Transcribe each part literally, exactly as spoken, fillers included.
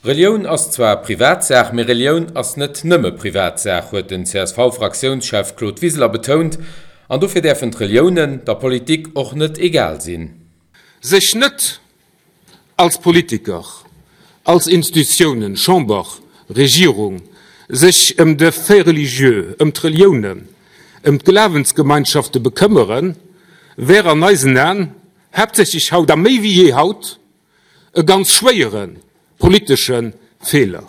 Relioun ass zwar Privatsaach, mee Relioun ass net nëmme Privatsaach, huet den C S V-Fraktiounschef Claude Wiseler betount, an dofir däerfen d'Reliounen der Politik och net egal sinn. Sech net als Politiker, als Institutiounen, Chamber, Regierung, sech ëm de Fait religieux, ëm d'Reliounen, ëm d'Glawensgemeinschafte bekëmmeren, wär an eisen Aen, haaptsächlech haut a méi wéi jee haut, e ganz schwéiere politesche Feeler.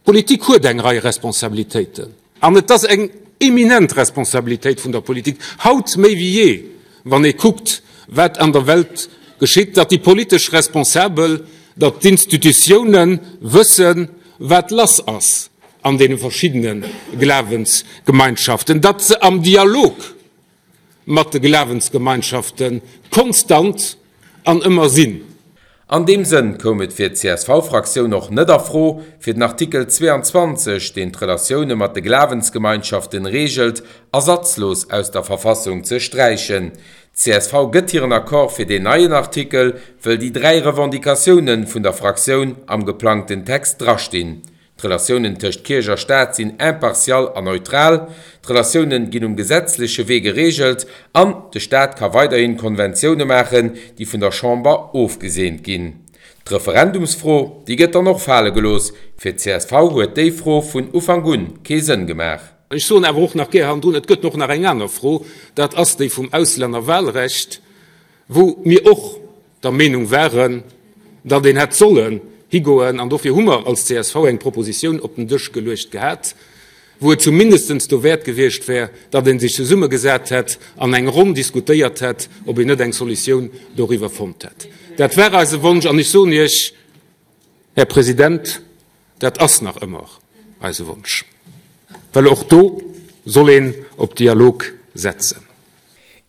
D'Politik huet eng Rei Responsabilitéiten. An et ass eng eminent Responsabilitéit vun der Politik, haut méi wéi jee, wann ee kuckt, wat an der Welt geschitt, datt déi politesch Responsabel, datt d'Institutiounen wëssen, wat lass ass an deene verschiddene Glawensgemeinschaften, datt se am Dialog mat de Glawensgemeinschafte konstant an ëmmer sinn. An deem Sënn koum et fir d'C S V-Fraktioun och net a Fro, fir den Artikel zweeanzwanzeg, deen d'Relatioune mat de Glawensgemeinschaften reegelt, ersatzlos aus der Verfassung ze sträichen. D C S V gëtt hiren Accord fir deen neien Artikel, wëll déi dräi Revendicatioune vun der Fraktioun am geplangten Text drastinn: D'Relatiounen tëscht Kierch a Staat sinn impartial an neutral, d'Relatioune ginn um gesetzleche Wee gereegelt an de Staat ka weiderhi Konventioune maachen, déi vun der Chamber ofgeseent ginn. D'Referendumsfro, déi gëtt dann och fale gelooss. Fir d C S V huet déi Fro vun Ufank un kee Sënn gemaach. Ech soen awer och nach gär hannendrun, et gëtt och nach eng aner Fro, dat ass déi vum Auslännerwahlrecht, wou mir och der Meenung waren, datt een hätt sollen higoen, an dofir hu mer als C S V eng Propositioun op den Dësch geluecht gehat, wou et zumindest dowäert gewiescht wär, datt ee sech zesummegesat hätt an eng Ronn diskutéiert hätt, ob een net eng Solutioun doriwwer fonnt hätt. Dat war eise Wonsch, an ech soen Iech, Här President, dat ass nach ëmmer eise Wonsch, well och do soll een op Dialog setzen.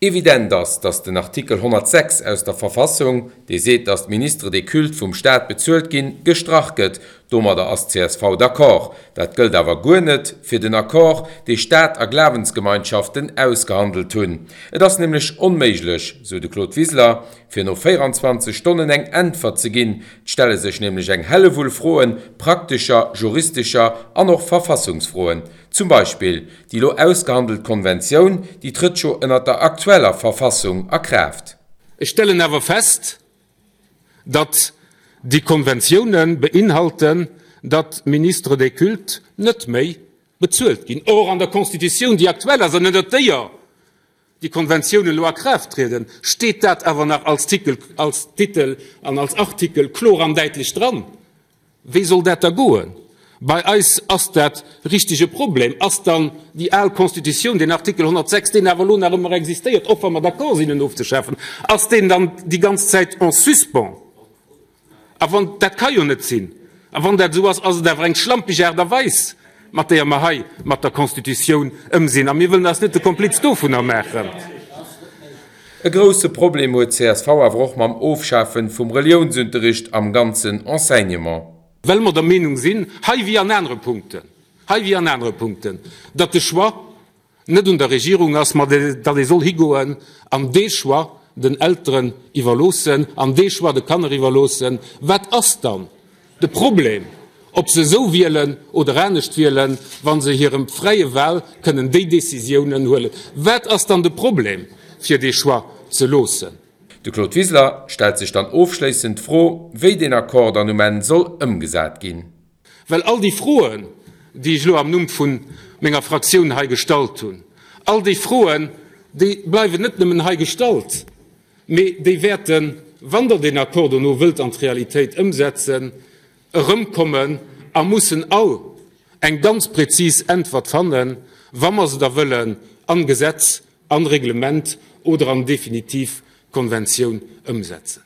Evident ass, datt den Artikel honnertsechs aus der Verfassung, dee seet, datt d'Ministres des cultes vum Staat bezuelt ginn, gestrach gëtt. Domadder ass d C S V d'accord. Dat gëllt awer guer net fir den Accord, dee Staat a Glawensgemeinschaften ausgehandelt hunn. Et ass nämlech onméiglech, sou de Claude Wiseler, fir no véieranzwanzeg Stonnen eng Äntwert ze ginn. Et stelle sech nämlech eng Hellewull Froen, praktescher, juristescher an och Verfassungsfroen. Zum Beispill déi lo ausgehandelt Konventioun, déi trëtt jo ënner der aktueller Verfassung a Kraaft. Ech stellen awer fest, datt déi Konventioune beinhalten, datt d'Ministres des cultes net méi bezuelt ginn. Or, an der Constitutioun, déi aktuell ass an ënnert déier déi Konventiounen elo a Kraaft trieden, steet dat awer nach als Titel, als Titel an als Artikel kloer an däitlech dran. Wéi soll dat da goen? Bei eis ass dat richteg e Problem. Ass dann déi al Constitutioun, deen Artikel honnertsechs, deen awer elo nach ëmmer existéiert, och wa mer d'accord sinn en ofzeschafen, ass deen dann déi ganz Zäit en suspens? A wann, dat ka jo net sinn. A wann dat esou ass, ass et awer eng schlampeg Aart a Weis, mat deeër mer hei mat der Constitutioun ëmsinn. A mir wëllen eis net de Kompliz dovunner maachen. E grousse Problem huet d C S V awer och mam Ofschafe vum Reliounsunterricht am ganzen Enseignement. Well mer der Meenung sinn, hei wéi an anere Punkten, hei wéi an anere Punkten, datt de Choix net un der Regierung ass, ma datt ee soll higoen an dee Choix den Elteren iwwerloossen an dee Choix de Kanner iwwerloossen. Wat ass dann de Problem, ob se esou wielen oder anescht wielen, wa se hirem fräie Wahl kënnen déi Décisiounen huelen? Wat ass dann de Problem, fir dee Choix ze loossen? De Claude Wiseler stellt sech dann ofschléissend d'Fro, wéi deen Accord dann um Enn soll ëmgesat ginn. Well all déi Froen, déi ech elo am Numm vu menger Fraktioun hei gestallt hunn, all déi Froen, déi bleiwen net nëmmen hei gestallt, mee déi wäerten, wann Der deen Accord dono wëllt an d'Realitéit ëmsetzen, erëmkommen a mussen all eng ganz prezis Äntwert fannen, wa mer se da wëllen an Gesetz, an Reglement oder an definitiv Konventioun ëmsetzen.